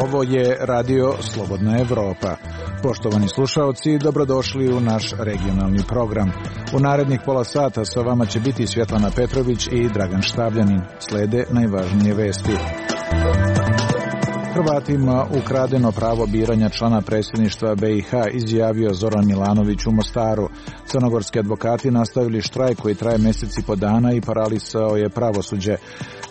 Ovo je Radio Slobodna Evropa. Poštovani slušaoci, dobrodošli u naš regionalni program. U narednih pola sata sa vama će biti Svjetlana Petrović i Dragan Štavljanin. Slede najvažnije vesti. Hrvatima ukradeno pravo biranja člana predsjedništva BiH, izjavio Zoran Milanović u Mostaru. Crnogorski advokati nastavili štrajk koji traje mjesec i po dana i paralisao je pravosuđe.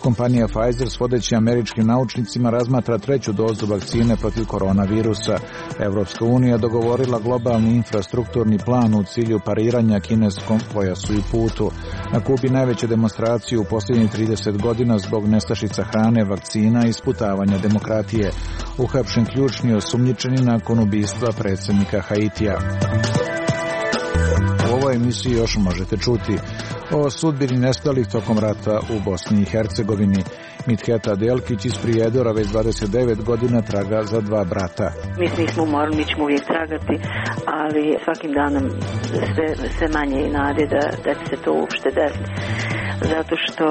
Kompanija Pfizer s vodećim američkim naučnicima razmatra treću dozu vakcine protiv koronavirusa. Evropska unija dogovorila globalni infrastrukturni plan u cilju pariranja kineskom pojasu i putu. Na Kubi najveće demonstracije u posljednjih 30 godina zbog nestašica hrane, vakcina i sputavanja demokratije. Uhapšen ključni osumnjičeni nakon ubistva predsjednika Haitija. U ovoj emisiji još možete čuti o sudbini nestalih tokom rata u Bosni i Hercegovini. Mitheta Delkić iz Prijedora već 29 godina traga za dva brata. Mi nismo umorni, mi ćemo uvijek tragati, ali svakim danom sve manje i nade da će se to uopšte desiti. Zato što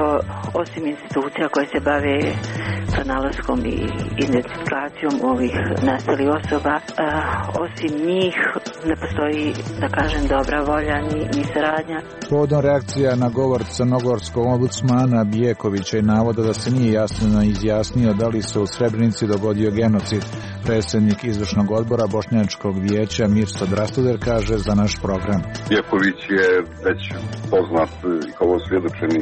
osim institucija koje se bave pronalaskom i identifikacijom ovih nestalih osoba, osim njih ne postoji, da kažem, dobra volja ni saradnja. Povodom reakcija na govor crnogorskog ombudsmana Bijekovića i navoda da se nije jasno izjasnio da li se u Srebrenici dogodio genocid, predsjednik izvršnog odbora Bošnjačkog vijeća Mirso Drastuder kaže za naš program. Bijeković je već poznat kao osvjedočeni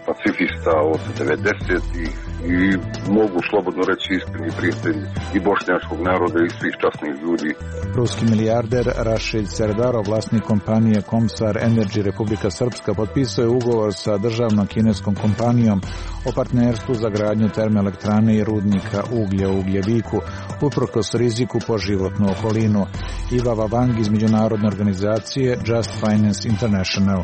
pacifista od 90-ih i mogu slobodno reći iskreni prijatelj i bošnjačkog naroda i svih časnih ljudi. Ruski milijarder Rašid Serdarov, vlasnik kompanije Komsar Energy Republika Srpska, potpisao je ugovor sa državnom kineskom kompanijom o partnerstvu za gradnju termoelektrane i rudnika uglja u Ugljeviku, uprkos riziku po životnu okolinu. Iva Vavang iz međunarodne organizacije Just Finance International.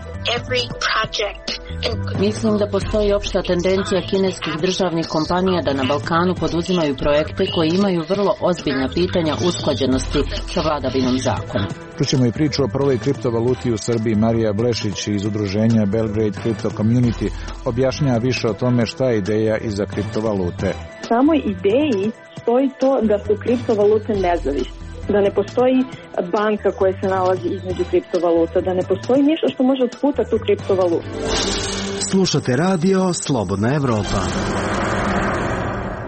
Mislim da postoji opšta tendencija kineskih državnih kompanija da na Balkanu poduzimaju projekte koji imaju vrlo ozbiljna pitanja usklađenosti sa vladavinom zakona. Čućemo i priču o prvoj kriptovaluti u Srbiji. Marija Blešić iz udruženja Belgrade Crypto Community objašnjava više o tome šta je ideja iza kriptovalute. Samoj ideji stoji to da su kriptovalute nezavisne, da ne postoji banka koja se nalazi između kriptovaluta, da ne postoji ništa što može otputati tu kriptovalutu. Slušate radio Slobodna Evropa.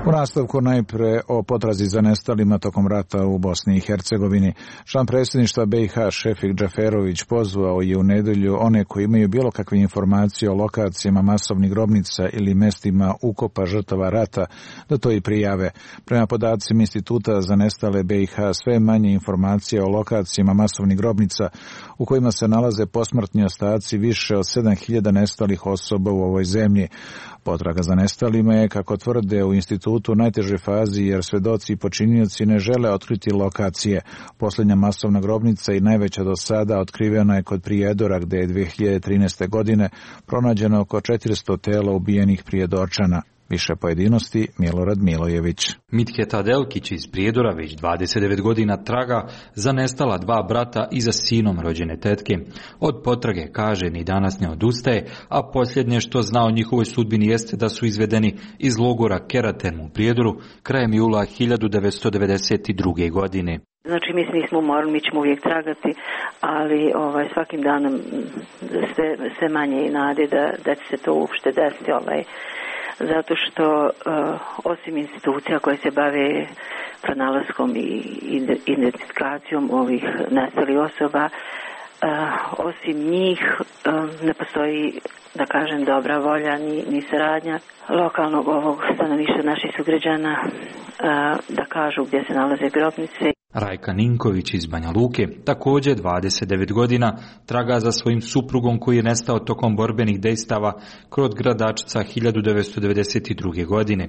U nastavku najpre o potrazi za nestalima tokom rata u Bosni i Hercegovini. Član predsjedništva BiH Šefik Džaferović pozvao je u nedelju one koji imaju bilo kakve informacije o lokacijama masovnih grobnica ili mestima ukopa žrtava rata da to i prijave. Prema podacima Instituta za nestale BiH sve manje informacija o lokacijama masovnih grobnica u kojima se nalaze posmrtni ostaci više od 7000 nestalih osoba u ovoj zemlji. Potraga za nestalima je, kako tvrde u institutu, u najtežoj fazi jer svedoci i počinioci ne žele otkriti lokacije. Posljednja masovna grobnica i najveća do sada otkrivena je kod Prijedora gdje je 2013. godine pronađeno oko 400 tela ubijenih Prijedorčana. Više pojedinosti Milorad Milojević. Mitheta Delkić iz Prijedora već 29 godina traga za nestala dva brata i za sinom rođene tetke. Od potrage, kaže, ni danas ne odustaje, a posljednje što zna o njihovoj sudbini jeste da su izvedeni iz logora Keraten u Prijedoru krajem jula 1992. godine. Znači, mi nismo umorni, mi ćemo uvijek tragati, ali svakim danom sve manje i nade da će se to uopšte desiti. Zato što osim institucija koje se bave pronalaskom i identifikacijom ovih nestalih osoba, osim njih ne postoji, da kažem, dobra volja ni saradnja lokalnog ovog stanovništva naših sugrađana da kažu gdje se nalaze grobnice. Rajka Ninković iz Banja Luke, također 29 godina, traga za svojim suprugom koji je nestao tokom borbenih dejstava kod Gradačca 1992. godine.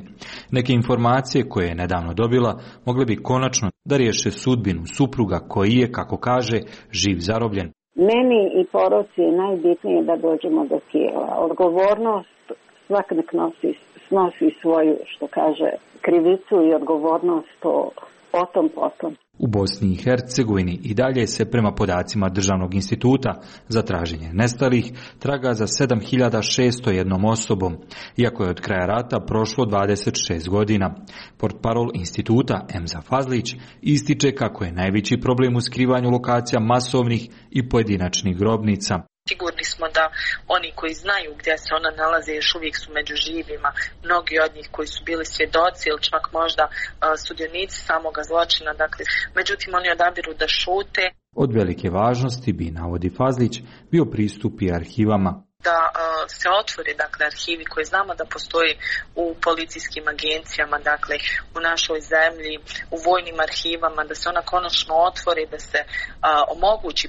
Neke informacije koje je nedavno dobila mogle bi konačno da riješe sudbinu supruga koji je, kako kaže, živ zarobljen. Meni i poroci je najbitnije da dođemo do Kijeva. Odgovornost svak nek snosi svoju, što kaže, krivicu i odgovornost o tom potom. U Bosni i Hercegovini i dalje se prema podacima Državnog instituta za traženje nestalih traga za 7601 osobom, iako je od kraja rata prošlo 26 godina. Portparol instituta Emza Fazlić ističe kako je najveći problem u skrivanju lokacija masovnih i pojedinačnih grobnica. Sigurni smo da oni koji znaju gdje se ona nalaze još uvijek su među živima. Mnogi od njih koji su bili svjedoci ili čak možda sudionici samoga zločina. Dakle, međutim, oni odabiru da šute. Od velike važnosti bi, navodi Fazlić, bio pristup i arhivama. Da se otvore, dakle, arhivi koji znamo da postoji u policijskim agencijama, dakle, u našoj zemlji, u vojnim arhivama, da se ona konačno otvore, da se omogući,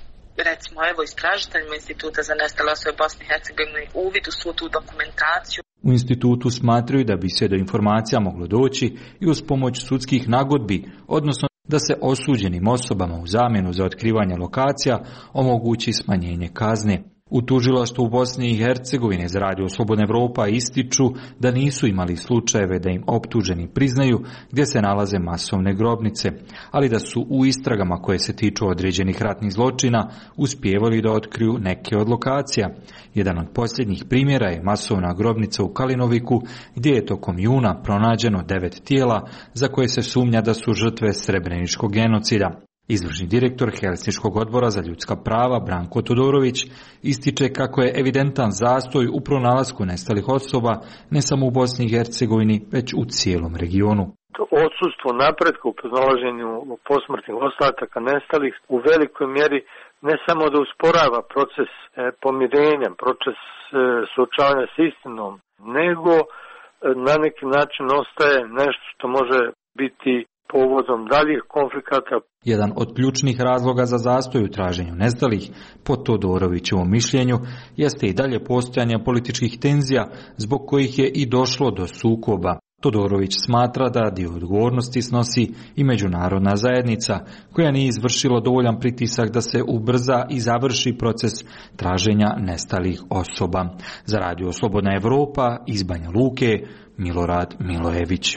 recimo, evo, istražiteljima Instituta za nestale osobe Bosne i Hercegovine uvid u svu tu dokumentaciju. U institutu smatraju da bi se do informacija moglo doći i uz pomoć sudskih nagodbi, odnosno da se osuđenim osobama u zamjenu za otkrivanje lokacija omogući smanjenje kazne. U tužilaštvu u Bosni i Hercegovini za Radio Slobodna Evropa ističu da nisu imali slučajeve da im optuženi priznaju gdje se nalaze masovne grobnice, ali da su u istragama koje se tiču određenih ratnih zločina uspijevali da otkriju neke od lokacija. Jedan od posljednjih primjera je masovna grobnica u Kalinoviku gdje je tokom juna pronađeno 9 tijela za koje se sumnja da su žrtve srebreničkog genocida. Izvršni direktor Helsinškog odbora za ljudska prava Branko Todorović ističe kako je evidentan zastoj u pronalasku nestalih osoba ne samo u Bosni i Hercegovini, već u cijelom regionu. Odsustvo napretka u pronalaženju posmrtnih ostataka nestalih u velikoj mjeri ne samo da usporava proces pomirenja, proces suočavanja s istinom, nego na neki način ostaje nešto što može biti povodom daljih konflikata. Jedan od ključnih razloga za zastoj u traženju nestalih, po Todorovićevom mišljenju, jeste i dalje postojanje političkih tenzija zbog kojih je i došlo do sukoba. Todorović smatra da dio odgovornosti snosi i međunarodna zajednica, koja nije izvršila dovoljan pritisak da se ubrza i završi proces traženja nestalih osoba. Za Radio Slobodna Evropa iz Banja Luke, Milorad Milojević.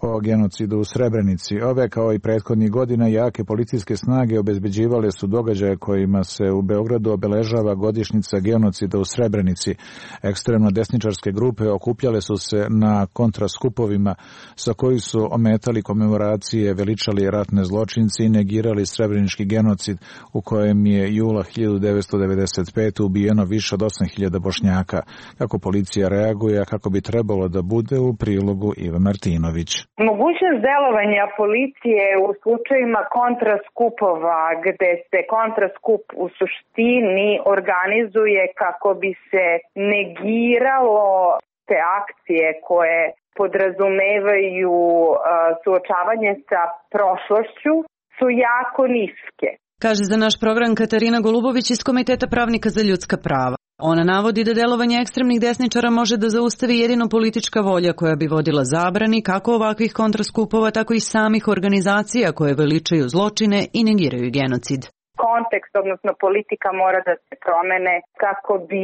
O genocidu u Srebrenici. Ove, kao i prethodnih godina, jake policijske snage obezbeđivale su događaje kojima se u Beogradu obeležava godišnjica genocida u Srebrenici. Ekstremno desničarske grupe okupljale su se na kontraskupovima sa koji su ometali komemoracije, veličali ratne zločinci i negirali srebrenički genocid u kojem je jula 1995. ubijeno više od 8.000 Bošnjaka. Kako policija reaguje, a kako bi trebalo da bude, u prilogu Iva Martinović. Mogućnost delovanja policije u slučajima kontraskupova, gde se kontraskup u suštini organizuje kako bi se negiralo te akcije koje podrazumevaju suočavanje sa prošlošću, su jako niske. Kaže za naš program Katarina Golubović iz Komiteta pravnika za ljudska prava. Ona navodi da delovanje ekstremnih desničara može da zaustavi jedino politička volja koja bi vodila zabrani kako ovakvih kontraskupova, tako i samih organizacija koje veličaju zločine i negiraju genocid. Kontekst, odnosno politika, mora da se promene kako bi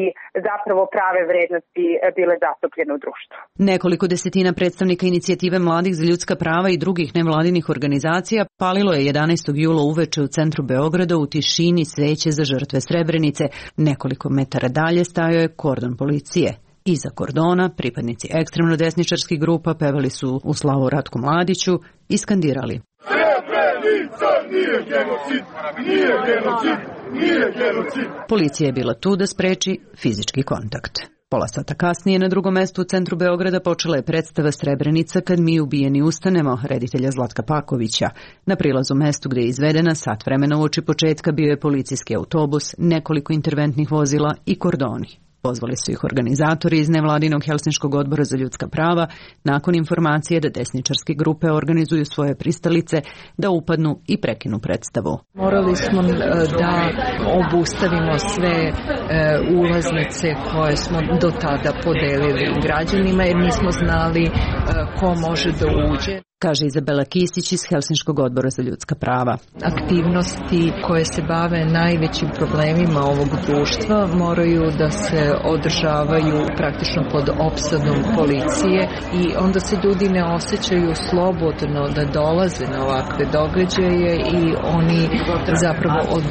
zapravo prave vrednosti bile zastupljene u društvu. Nekoliko desetina predstavnika inicijative mladih za ljudska prava i drugih nevladinih organizacija palilo je 11. jula uveče u centru Beograda u tišini sveće za žrtve Srebrenice. Nekoliko metara dalje stajao je kordon policije. Iza kordona pripadnici ekstremno desničarskih grupa pevali su u slavu Ratku Mladiću i skandirali: Srebrenica nije genocid, nije genocid, nije genocid. Policija je bila tu da spreči fizički kontakt. Pola sata kasnije na drugom mestu u centru Beograda počela je predstava Srebrenica kad mi ubijeni ustanemo, reditelja Zlatka Pakovića. Na prilazu mestu gde je izvedena, sat vremena uoči početka, bio je policijski autobus, nekoliko interventnih vozila i kordoni. Pozvali su ih organizatori iz nevladinog Helsinškog odbora za ljudska prava nakon informacije da desničarske grupe organizuju svoje pristalice da upadnu i prekinu predstavu. Morali smo da obustavimo sve ulaznice koje smo do tada podelili građanima jer nismo znali ko može da uđe. Kaže Izabela Kisić iz Helsinškog odbora za ljudska prava. Aktivnosti koje se bave najvećim problemima ovog društva moraju da se održavaju praktično pod opsadom policije i onda se ljudi ne osjećaju slobodno da dolaze na ovakve događaje i oni zapravo od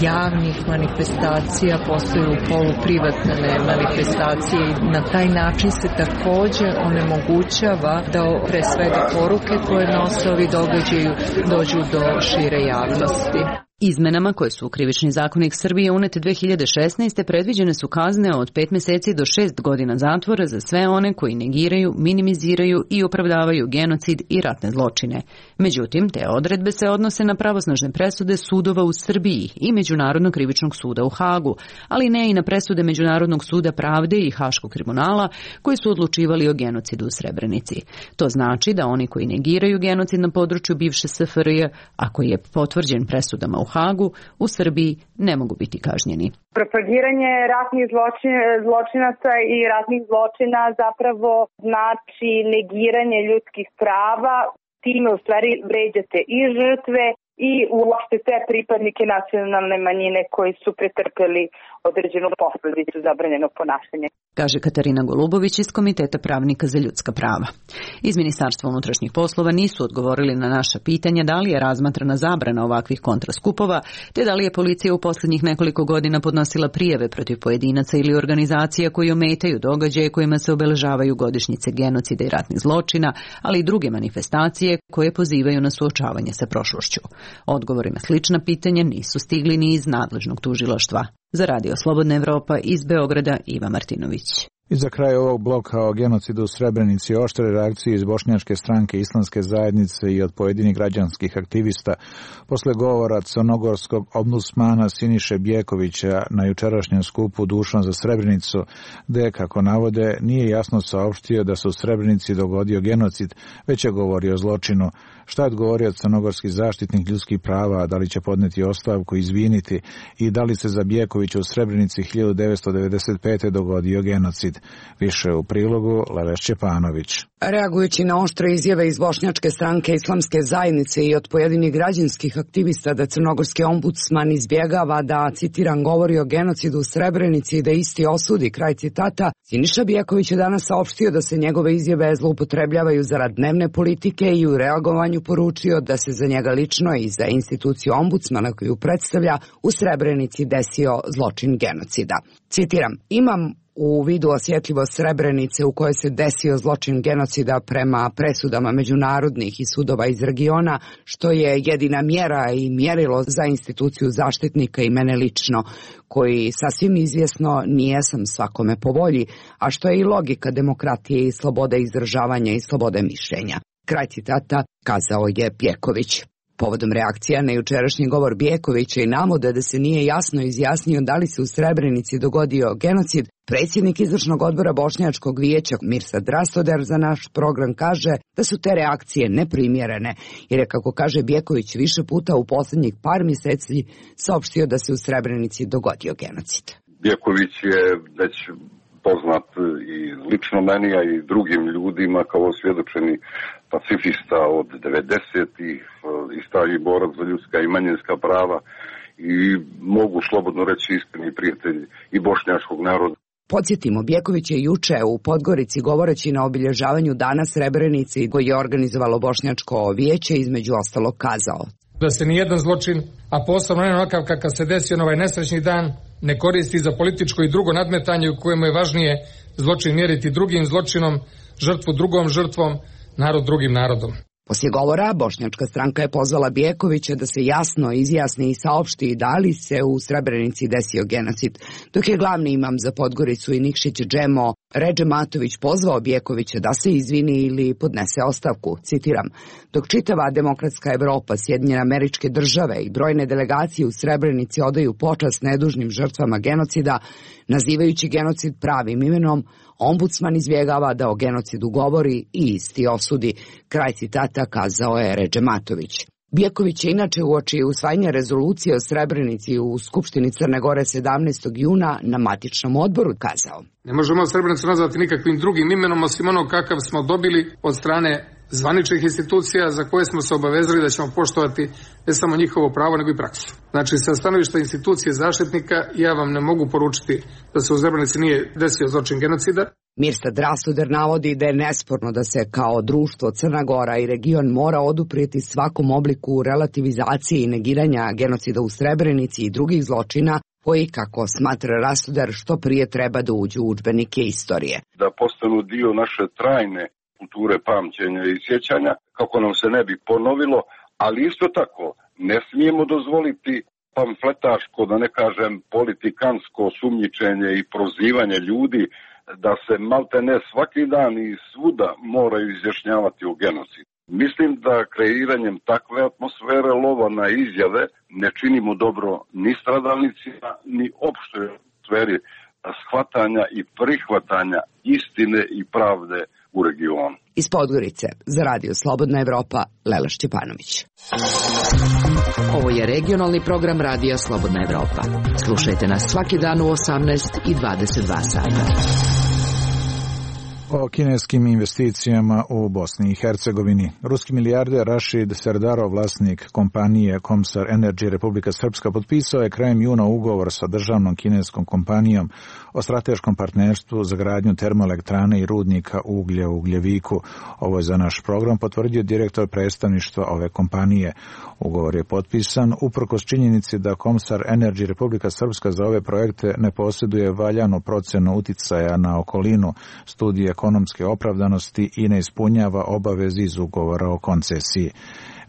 javnih manifestacija postaju poluprivatne manifestacije i na taj način se takođe onemogućava da pre svega poruke koje nose ovi događaju dođu do šire javnosti. Izmenama koje su u Krivični zakonik Srbije unete 2016. predviđene su kazne od 5 meseci do 6 godina zatvora za sve one koji negiraju, minimiziraju i opravdavaju genocid i ratne zločine. Međutim, te odredbe se odnose na pravosnažne presude sudova u Srbiji i Međunarodnog krivičnog suda u Hagu, ali ne i na presude Međunarodnog suda pravde i Haškog tribunala koji su odlučivali o genocidu u Srebrenici. To znači da oni koji negiraju genocid na području bivše SFRJ, a koji je potvrđen presudama u Hagu, u Srbiji ne mogu biti kažnjeni. Propagiranje ratnih zločinaca i ratnih zločina zapravo znači negiranje ljudskih prava, time u stvari vređate i žrtve i uopšte sve pripadnike nacionalne manjine koji su pretrpeli određenu posledicu zabranjenog ponašanja. Kaže Katarina Golubović iz Komiteta pravnika za ljudska prava. Iz Ministarstva unutrašnjih poslova nisu odgovorili na naša pitanja da li je razmatrana zabrana ovakvih kontraskupova, te da li je policija u poslednjih nekoliko godina podnosila prijave protiv pojedinaca ili organizacija koji ometaju događaje kojima se obeležavaju godišnjice genocida i ratnih zločina, ali i druge manifestacije koje pozivaju na suočavanje sa prošlošću. Odgovori na slična pitanja nisu stigli ni iz nadležnog tužilaštva. Za Radio Slobodna Evropa iz Beograda Iva Martinović. I za kraj ovog bloka o genocidu u Srebrenici oštre reakcije iz Bošnjačke stranke Islamske zajednice i od pojedinih građanskih aktivista posle govora crnogorskog ombudsmana Siniše Bjekovića na jučerašnjem skupu Dušan za Srebrenicu, gde, kako navode, nije jasno saopštio da se u Srebrenici dogodio genocid, već je govorio o zločinu. Šta je odgovorio crnogorski zaštitnik ljudskih prava, da li će podneti ostavku, izviniti i da li se za Bjekovića u Srebrenici 1995. dogodio genocid? Više u prilogu Leveš Čepanović. Reagujući na oštre izjave iz Bošnjačke stranke Islamske zajednice i od pojedinih građanskih aktivista da crnogorski ombudsman izbjegava da, citiram, govori o genocidu u Srebrenici i da isti osudi, kraj citata, Siniša Bjeković je danas saopštio da se njegove izjave zloupotrebljavaju zarad dnevne politike i u reagovanju poručio da se za njega lično i za instituciju ombudsmana koju predstavlja u Srebrenici desio zločin genocida. Citiram, imam u vidu osjetljivost Srebrenice u kojoj se desio zločin genocida prema presudama međunarodnih i sudova iz regiona, što je jedina mjera i mjerilo za instituciju zaštitnika i mene lično, koji sasvim izvjesno nijesam svakome po volji, a što je i logika demokratije i slobode izražavanja i slobode mišljenja. Kraj citata kazao je Bjeković. Povodom reakcija na jučerašnji govor Bjekovića i navode da se nije jasno izjasnio da li se u Srebrenici dogodio genocid, predsjednik izvršnog odbora Bošnjačkog vijeća Mirsad Rastoder za naš program kaže da su te reakcije neprimjerene, jer je, kako kaže Bjeković, više puta u posljednjih par mjeseci saopštio da se u Srebrenici dogodio genocid. Bjeković je već poznat i lično meni, a i drugim ljudima kao osvjedočeni pacifista od 90-ih, i stari borac za ljudska i manjinska prava i mogu slobodno reći iskreni prijatelj i bošnjačkog naroda. Podsjetimo, Bjeković je juče u Podgorici govoreći na obilježavanju Dana Srebrenice koji je organizovalo Bošnjačko vijeće između ostalog kazao da se nijedan zločin, a posebno ne onakav kakav se desio na ovaj nesrećni dan, ne koristi za političko i drugo nadmetanje u kojemu je važnije zločin mjeriti drugim zločinom, žrtvu drugom žrtvom, narod drugim narodom. Poslije govora, Bošnjačka stranka je pozvala Bjekovića da se jasno izjasni i saopšti da li se u Srebrenici desio genocid, dok je glavni imam za Podgoricu i Nikšić Džemo Redže Matović pozvao Bjekovića da se izvini ili podnese ostavku, citiram, dok čitava demokratska Evropa, Sjedinjene Američke Države i brojne delegacije u Srebrenici odaju počast nedužnim žrtvama genocida, nazivajući genocid pravim imenom, ombudsman izbjegava da o genocidu govori i isti osudi, kraj citata kazao je Redže Matović. Bijaković je inače uoči usvajanja rezolucije o Srebrenici u Skupštini Crne Gore 17. juna na matičnom odboru kazao: Ne možemo Srebrenicu nazvati nikakvim drugim imenom osim onog kakav smo dobili od strane zvaničnih institucija za koje smo se obavezali da ćemo poštovati ne samo njihovo pravo nego i praksu. Znači, sa stanovišta institucije zaštitnika ja vam ne mogu poručiti da se u Srebrenici nije desio zločin genocida. Mirsad Rasuder navodi da je nesporno da se kao društvo Crna Gora i region mora oduprijeti svakom obliku relativizacije i negiranja genocida u Srebrenici i drugih zločina koji, kako smatra Rasuder, što prije treba da uđu u udžbenike istorije. Da postanu dio naše trajne kulture pamćenja i sjećanja, kako nam se ne bi ponovilo, ali isto tako ne smijemo dozvoliti pamfletaško, da ne kažem politikansko sumnjičenje i prozivanje ljudi da se maltene svaki dan i svuda moraju izjašnjavati o genocidu. Mislim da kreiranjem takve atmosfere lova na izjave ne činimo dobro ni stradalnicima, ni opštoj atmosferi shvatanja i prihvatanja istine i pravde u regionu. Iz Podgorice za Radio Slobodna Evropa, Lela Šćepanović. Ovo je regionalni program Radija Slobodna Evropa. Slušajte nas svaki dan u 18 i 22 sata. O kineskim investicijama u Bosni i Hercegovini. Ruski milijarder Rašid Serdarov, vlasnik kompanije Komsar Energy Republika Srpska, potpisao je krajem juna ugovor sa državnom kineskom kompanijom o strateškom partnerstvu za gradnju termoelektrane i rudnika uglja u Ugljeviku. Ovo je za naš program potvrdio direktor predstavništva ove kompanije. Ugovor je potpisan uprkos činjenici da Komsar Energy Republika Srpska za ove projekte ne posjeduje valjanu procenu uticaja na okolinu, studije ekonomske opravdanosti i ne ispunjava obaveze iz ugovora o koncesiji.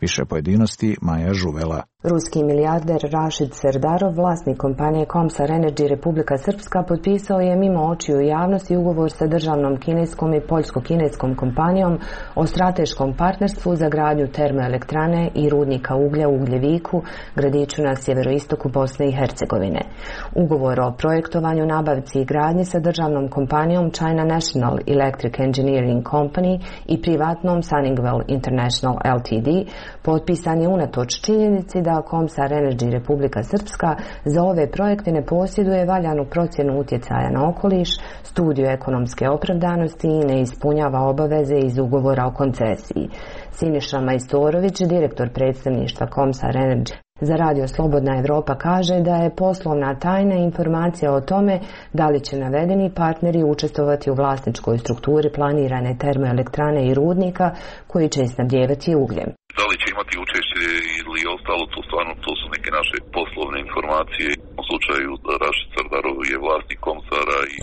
Više pojedinosti Maja Žuvela. Ruski milijarder Rašid Serdarov, vlasnik kompanije Komsar Energy Republika Srpska, potpisao je mimo očiju javnosti ugovor sa državnom kineskom i poljsko-kineskom kompanijom o strateškom partnerstvu za gradnju termoelektrane i rudnika uglja u Ugljeviku, gradiću na sjeveroistoku Bosne i Hercegovine. Ugovor o projektovanju, nabavci i gradnji sa državnom kompanijom China National Electric Engineering Company i privatnom Sunningwell International Ltd. potpisan je unatoč činjenici da Komsar Energy Republika Srpska za ove projekte ne posjeduje valjanu procjenu utjecaja na okoliš, studiju ekonomske opravdanosti i ne ispunjava obaveze iz ugovora o koncesiji. Siniša Majstorović, direktor predstavništva Komsar Energy za Radio Slobodna Evropa, kaže da je poslovna tajna informacija o tome da li će navedeni partneri učestvovati u vlasničkoj strukturi planirane termoelektrane i rudnika koji će snabdijevati ugljem. Da li će imati učešće ili ostalo, to su neke naše poslovne informacije. U slučaju Rašid Serdarov je vlasnik Komsara i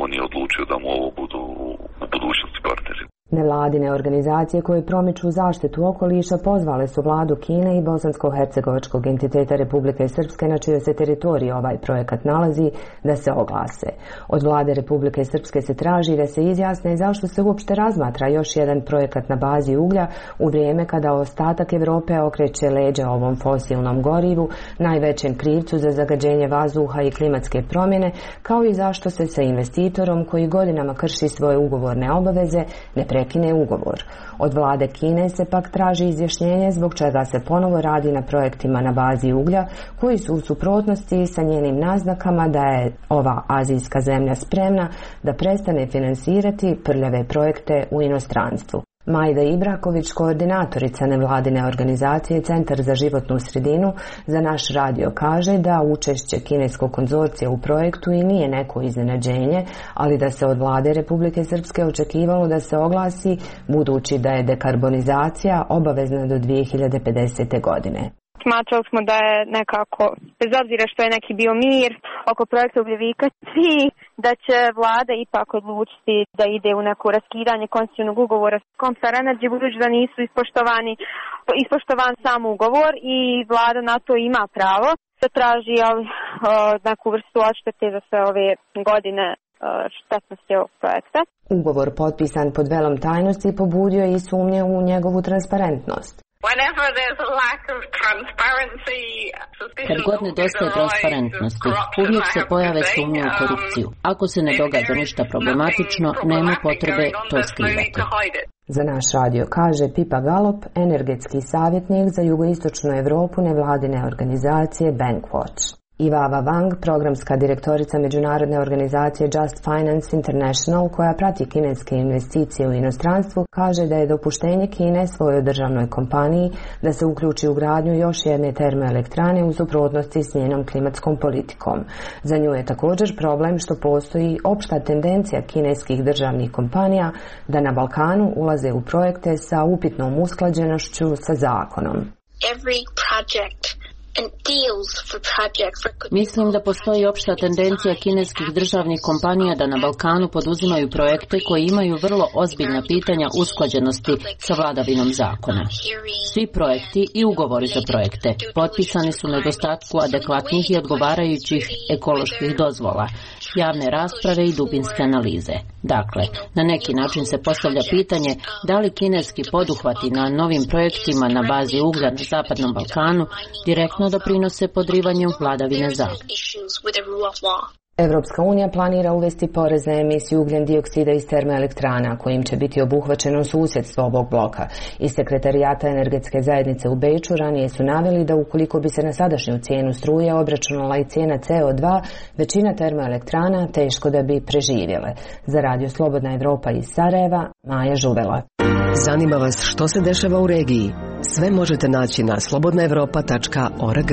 on je odlučio da mu ovo budu u budućnosti partneri. Nevladine organizacije koje promiču zaštitu okoliša pozvale su vladu Kine i bosansko-hercegovačkog entiteta Republike Srpske, na čijoj se teritoriji ovaj projekat nalazi, da se oglase. Od vlade Republike Srpske se traži da se izjasne zašto se uopšte razmatra još jedan projekat na bazi uglja u vrijeme kada ostatak Evrope okreće leđa ovom fosilnom gorivu, najvećem krivcu za zagađenje vazduha i klimatske promjene, kao i zašto se sa investitorom koji godinama krši svoje ugovorne obaveze ne prekine ugovor. Od vlade Kine se pak traži izjašnjenje zbog čega se ponovo radi na projektima na bazi uglja koji su u suprotnosti sa njenim naznakama da je ova azijska zemlja spremna da prestane finansirati prljave projekte u inostranstvu. Majda Ibraković, koordinatorica nevladine organizacije Centar za životnu sredinu, za naš radio kaže da učešće kineskog konzorcija u projektu i nije neko iznenađenje, ali da se od vlade Republike Srpske očekivalo da se oglasi, budući da je dekarbonizacija obavezna do 2050. godine. Smatrali smo da je nekako, bez obzira što je neki bio mir oko projekta Ugljevika, da će vlada ipak odlučiti da ide u neko raskidanje konstitutivnog ugovora s Komsar Energy, budući da nisu ispoštovan sam ugovor i vlada na to ima pravo da traži neku vrstu odštete za sve ove godine štetnosti ovog projekta. Ugovor potpisan pod velom tajnosti pobudio je i sumnje u njegovu transparentnost. Kad god nedostaje transparentnosti, uvijek se pojave sumnje u korupciju. Ako se ne događa ništa problematično, nema potrebe to skrivati. Za naš radio kaže Pipa Galop, energetski savjetnik za jugoistočnu Evropu nevladine organizacije Bankwatch. I Vava Wang, programska direktorica međunarodne organizacije Just Finance International, koja prati kineske investicije u inostranstvu, kaže da je dopuštenje Kine svojoj državnoj kompaniji da se uključi u gradnju još jedne termoelektrane u suprotnosti s njenom klimatskom politikom. Za nju je također problem što postoji opšta tendencija kineskih državnih kompanija da na Balkanu ulaze u projekte sa upitnom usklađenošću sa zakonom. Mislim da postoji opšta tendencija kineskih državnih kompanija da na Balkanu poduzimaju projekte koji imaju vrlo ozbiljna pitanja usklađenosti sa vladavinom zakona. Svi projekti i ugovori za projekte potpisani su na nedostatku adekvatnih i odgovarajućih ekoloških dozvola, javne rasprave i dubinske analize. Dakle, na neki način se postavlja pitanje da li kineski poduhvati na novim projektima na bazi uglja na Zapadnom Balkanu direktno doprinose podrivanju vladavine zakona. Evropska unija planira uvesti porez na emisiju ugljen dioksida iz termoelektrana, kojim će biti obuhvaćeno susjedstvo ovog bloka. Iz Sekretarijata energetske zajednice u Beču ranije su naveli da ukoliko bi se na sadašnju cijenu struje obračunala i cijena CO2, većina termoelektrana teško da bi preživjele. Za Radio Slobodna Evropa iz Sarajeva, Maja Žuvela. Zanima vas što se dešava u regiji? Sve možete naći na slobodnaevropa.org.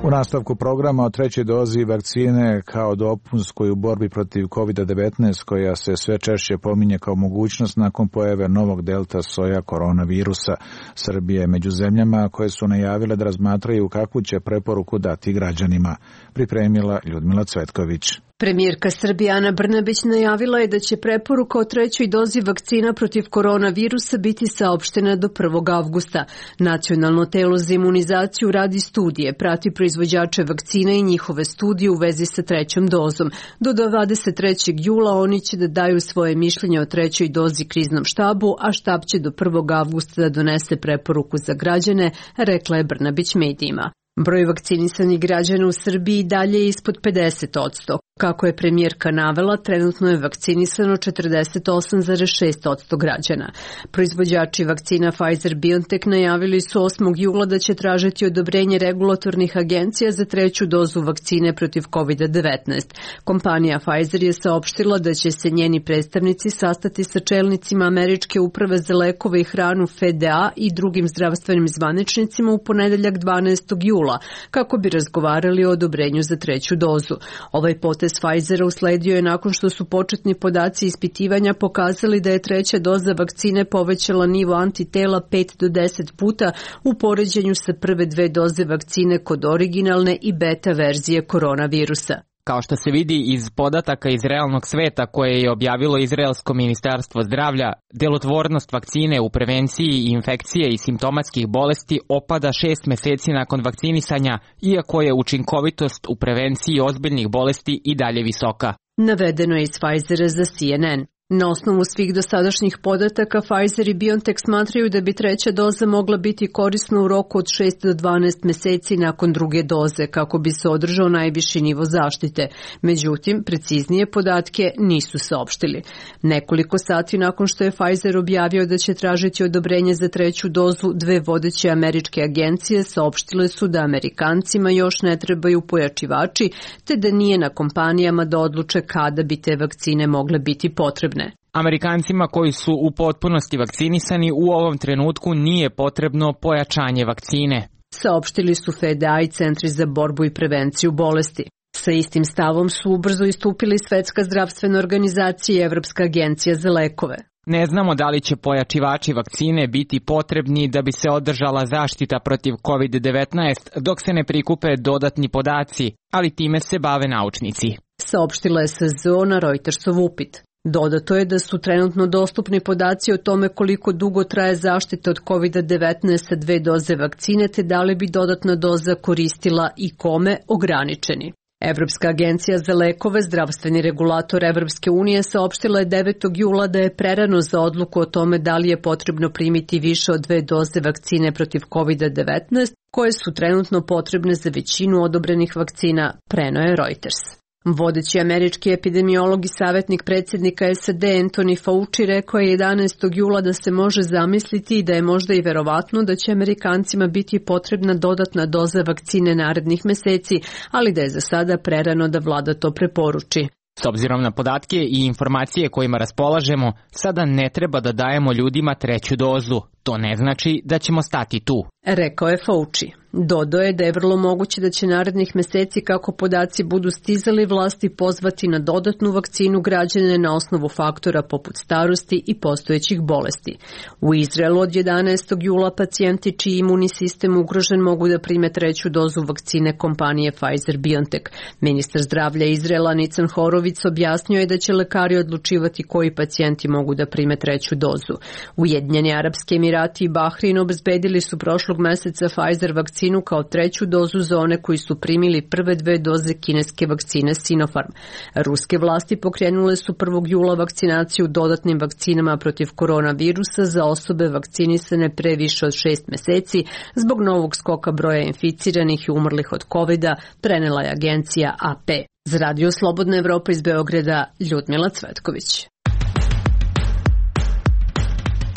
U nastavku programa o trećoj dozi vakcine kao dopunskoj u borbi protiv COVID-19, koja se sve češće pominje kao mogućnost nakon pojave novog delta soja koronavirusa. Srbija je među zemljama koje su najavile da razmatraju kakvu će preporuku dati građanima. Pripremila Ljudmila Cvetković. Premijerka Srbije Ana Brnabić najavila je da će preporuka o trećoj dozi vakcina protiv koronavirusa biti saopštena do 1. avgusta. Nacionalno telo za imunizaciju radi studije, prati proizvođače vakcina i njihove studije u vezi sa trećom dozom. Do 23. jula oni će da daju svoje mišljenje o trećoj dozi kriznom štabu, a štab će do 1. avgusta da donese preporuku za građane, rekla je Brnabić medijima. Broj vakcinisanih građana u Srbiji dalje je ispod 50%. Kako je premijerka navela, trenutno je vakcinisano 48,6% građana. Proizvođači vakcina Pfizer-BioNTech najavili su 8. jula da će tražiti odobrenje regulatornih agencija za treću dozu vakcine protiv COVID-19. Kompanija Pfizer je saopštila da će se njeni predstavnici sastati sa čelnicima Američke uprave za lekove i hranu FDA i drugim zdravstvenim zvaničnicima u ponedeljak 12. jula, kako bi razgovarali o odobrenju za treću dozu. Ovaj potez Pfizera usledio je nakon što su početni podaci ispitivanja pokazali da je treća doza vakcine povećala nivo antitela 5 do 10 puta u poređenju sa prve dve doze vakcine kod originalne i beta verzije koronavirusa. Kao što se vidi iz podataka iz realnog sveta koje je objavilo Izraelsko ministarstvo zdravlja, delotvornost vakcine u prevenciji infekcije i simptomatskih bolesti opada 6 meseci nakon vakcinisanja, iako je učinkovitost u prevenciji ozbiljnih bolesti i dalje visoka. Navedeno je iz Pfizera za CNN. Na osnovu svih dosadašnjih podataka, Pfizer i BioNTech smatraju da bi treća doza mogla biti korisna u roku od 6 do 12 meseci nakon druge doze, kako bi se održao najviši nivo zaštite. Međutim, preciznije podatke nisu saopštili. Nekoliko sati nakon što je Pfizer objavio da će tražiti odobrenje za treću dozu, dve vodeće američke agencije saopštile su da Amerikancima još ne trebaju pojačivači, te da nije na kompanijama da odluče kada bi te vakcine mogle biti potrebne. Amerikancima koji su u potpunosti vakcinisani u ovom trenutku nije potrebno pojačanje vakcine, saopštili su FDA i Centri za borbu i prevenciju bolesti. Sa istim stavom su ubrzo istupili Svetska zdravstvena organizacija i Evropska agencija za lekove. Ne znamo da li će pojačivači vakcine biti potrebni da bi se održala zaštita protiv COVID-19 dok se ne prikupe dodatni podaci, ali time se bave naučnici, saopštila je SZO na Reutersov upit. Dodato je da su trenutno dostupni podaci o tome koliko dugo traje zaštita od COVID-19 sa dve doze vakcine, te da li bi dodatna doza koristila i kome ograničeni. Evropska agencija za lekove, zdravstveni regulator Evropske unije, saopštila je 9. jula da je prerano za odluku o tome da li je potrebno primiti više od 2 doze vakcine protiv COVID-19, koje su trenutno potrebne za većinu odobrenih vakcina, preneo je Reuters. Vodeći američki epidemiolog i savjetnik predsjednika SAD Anthony Fauci rekao je 11. jula da se može zamisliti i da je možda i verovatno da će Amerikancima biti potrebna dodatna doza vakcine narednih meseci, ali da je za sada prerano da vlada to preporuči. S obzirom na podatke i informacije kojima raspolažemo, sada ne treba da dajemo ljudima 3. dozu. To ne znači da ćemo stati tu, rekao je Fauci. Dodao je da je vrlo moguće da će narednih meseci, kako podaci budu stizali, vlasti pozvati na dodatnu vakcinu građane na osnovu faktora poput starosti i postojećih bolesti. U Izraelu od 11. jula pacijenti čiji imunni sistem ugrožen mogu da prime 3. dozu vakcine kompanije Pfizer-BioNTech. Ministar zdravlja Izraela Nican Horovic objasnio je da će lekari odlučivati koji pacijenti mogu da prime 3. dozu. Ujedinjeni Arapski Emirati i Bahrein obezbedili su prošlog meseca Pfizer vakcinu kao 3. dozu za one koji su primili prve 2 doze kineske vakcine Sinopharm. Ruske vlasti pokrenule su 1. jula vakcinaciju dodatnim vakcinama protiv koronavirusa za osobe vakcinisane pre više od 6 meseci zbog novog skoka broja inficiranih i umrlih od COVID-a, prenela je agencija AP. Za Radio Slobodna Evropa iz Beograda, Ljudmila Cvetković.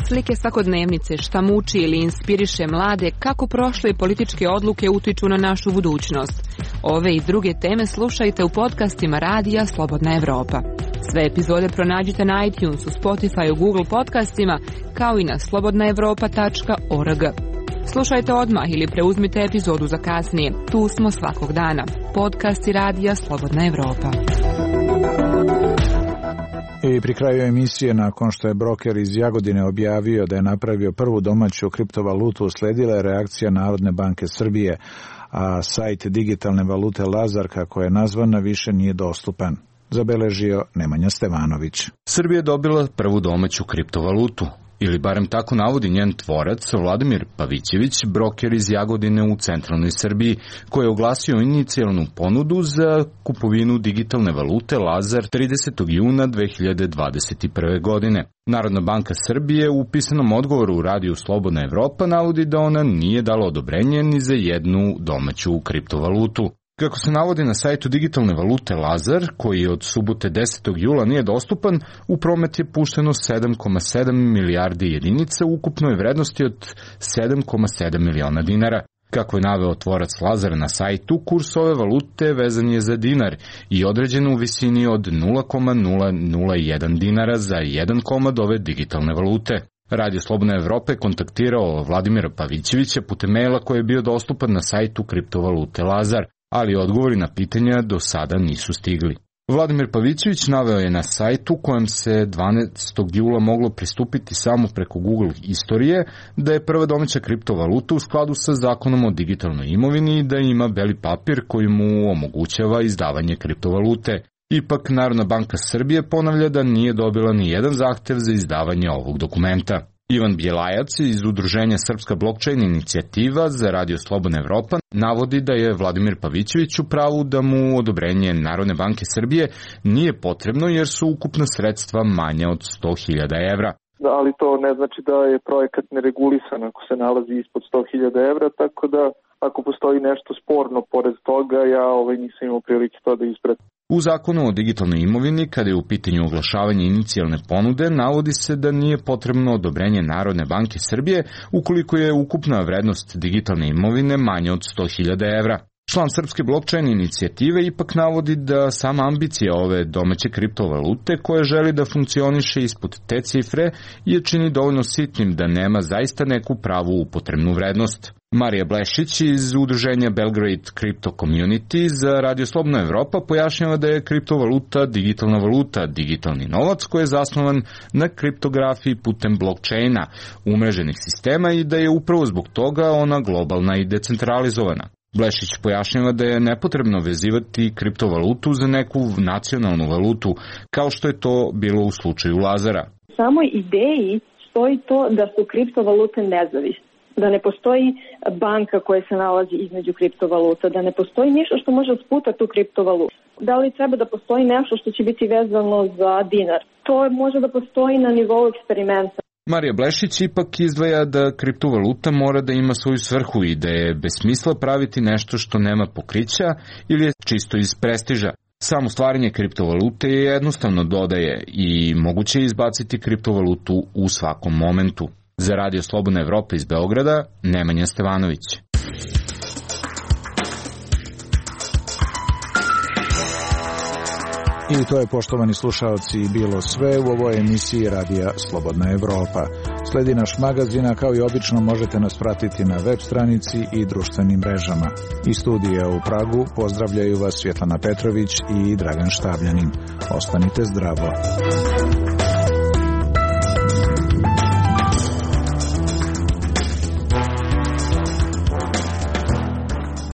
Slike svakodnevnice, šta muči ili inspiriše mlade, kako prošle političke odluke utiču na našu budućnost. Ove i druge teme slušajte u podcastima Radija Slobodna Evropa. Sve epizode pronađite na iTunesu, Spotify, Google podcastima, kao i na slobodnaevropa.org. Slušajte odmah ili preuzmite epizodu za kasnije. Tu smo svakog dana. Podcasti Radija Slobodna Evropa. I pri kraju emisije, nakon što je broker iz Jagodine objavio da je napravio prvu domaću kriptovalutu, usledila je reakcija Narodne banke Srbije, a sajt digitalne valute Lazar, kako je nazvana, više nije dostupan. Zabeležio Nemanja Stevanović. Srbija je dobila prvu domaću kriptovalutu, ili barem tako navodi njen tvorac Vladimir Pavićević, broker iz Jagodine u centralnoj Srbiji, koji je oglasio inicijalnu ponudu za kupovinu digitalne valute Lazar 30. juna 2021. godine. Narodna banka Srbije u pisanom odgovoru u Radiju Slobodna Evropa navodi da ona nije dala odobrenje ni za jednu domaću kriptovalutu. Kako se navodi na sajtu digitalne valute Lazar, koji od subote 10. jula nije dostupan, u promet je pušteno 7,7 milijardi jedinica u ukupnoj vrednosti od 7,7 miliona dinara. Kako je naveo tvorac Lazara na sajtu, kurs ove valute vezan je za dinar i određen u visini od 0,001 dinara za 1 komad ove digitalne valute. Radio Slobodna Evropa je kontaktirao Vladimira Pavićevića putem maila koji je bio dostupan na sajtu kriptovalute Lazar, ali odgovori na pitanja do sada nisu stigli. Vladimir Pavićević naveo je na sajtu kojem se 12. jula moglo pristupiti samo preko Google istorije da je prva domaća kriptovaluta u skladu sa zakonom o digitalnoj imovini i da ima beli papir koji mu omogućava izdavanje kriptovalute. Ipak Narodna banka Srbije ponavlja da nije dobila ni jedan zahtev za izdavanje ovog dokumenta. Ivan Bjelajac iz Udruženja Srpska blockchain inicijativa za Radio Slobodna Evropa navodi da je Vladimir Pavićević u pravu da mu odobrenje Narodne banke Srbije nije potrebno jer su ukupna sredstva manja od 100.000 evra. Ali to ne znači da je projekat neregulisan ako se nalazi ispod 100.000 evra, tako da ako postoji nešto sporno pored toga, ja nisam imao prilike to da ispratim. U zakonu o digitalnoj imovini, kada je u pitanju oglašavanje inicijalne ponude, navodi se da nije potrebno odobrenje Narodne banke Srbije ukoliko je ukupna vrednost digitalne imovine manja od 100.000 evra. Član Srpske blockchain inicijative ipak navodi da sama ambicija ove domaće kriptovalute koja želi da funkcioniše ispod te cifre je čini dovoljno sitnim da nema zaista neku pravu upotrebnu vrednost. Marija Blešić iz Udruženja Belgrade Crypto Community za Radio Slobodna Evropa pojašnjava da je kriptovaluta digitalna valuta, digitalni novac koji je zasnovan na kriptografiji putem blockchaina, umreženih sistema i da je upravo zbog toga ona globalna i decentralizovana. Blešić pojašnjava da je nepotrebno vezivati kriptovalutu za neku nacionalnu valutu, kao što je to bilo u slučaju Lazara. Samoj ideji stoji to da su kriptovalute nezavisne. da ne postoji banka koja se nalazi između kriptovaluta, da ne postoji ništa što može sputati tu kriptovalutu. Da li treba da postoji nešto što će biti vezano za dinar? To može da postoji na nivou eksperimenta. Marija Blešić ipak izdvaja da kriptovaluta mora da ima svoju svrhu i da je bez smisla praviti nešto što nema pokrića ili je čisto iz prestiža. Samo stvaranje kriptovalute je jednostavno, dodaje, i moguće je izbaciti kriptovalutu u svakom momentu. Za Radio Slobodna Evropa iz Beograda, Nemanja Stevanović. I to je, poštovani slušaoci, bilo sve u ovoj emisiji Radija Slobodna Evropa. Sledi naš magazin, a kao i obično možete nas pratiti na web stranici i društvenim mrežama. Iz studija u Pragu pozdravljaju vas Svjetlana Petrović i Dragan Štabljanin. Ostanite zdravo.